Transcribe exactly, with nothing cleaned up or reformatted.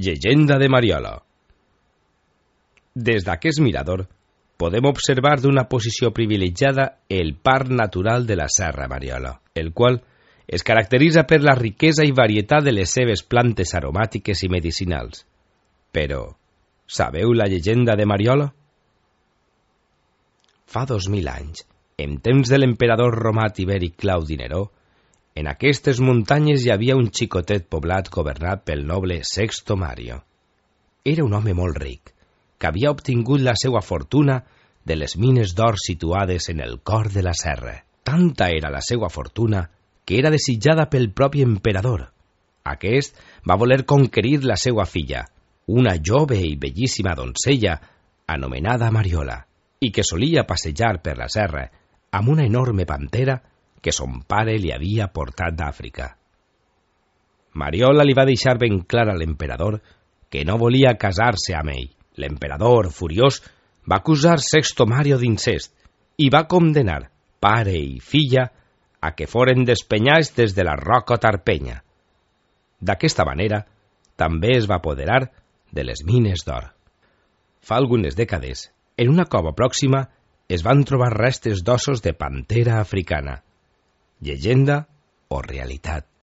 Llegenda de Mariola. Des d'aquest mirador podem observar d'una posició privilegiada el parc natural de la Serra Mariola, el qual es caracteritza per la riquesa i varietat de les seves plantes aromàtiques i medicinals. Però, sabeu la llegenda de Mariola? Fa dos mil anys, en temps de l'emperador romà Tiberi Claudi Neró, en aquestes muntanyes hi havia un xicotet poblat governat pel noble Sexto Mario. Era un home molt ric, que havia obtingut la seva fortuna de les mines d'or situades en el cor de la serra. Tanta era la seva fortuna que era desitjada pel propi emperador. Aquest va voler conquerir la seva filla, una jove i bellíssima doncella anomenada Mariola, i que solia passejar per la serra amb una enorme pantera que son pare li havia portat d'Àfrica. Mariola li va deixar ben clar a l'emperador que no volia casar-se amb ell. L'emperador, furiós, va acusar Sexto Mario d'incest i va condenar pare i filla a que foren despenyats des de la roca Tarpenya. D'aquesta manera, també es va apoderar de les mines d'or. Fa algunes dècades, en una cova pròxima, es van trobar restes d'ossos de pantera africana. Llegenda o realitat?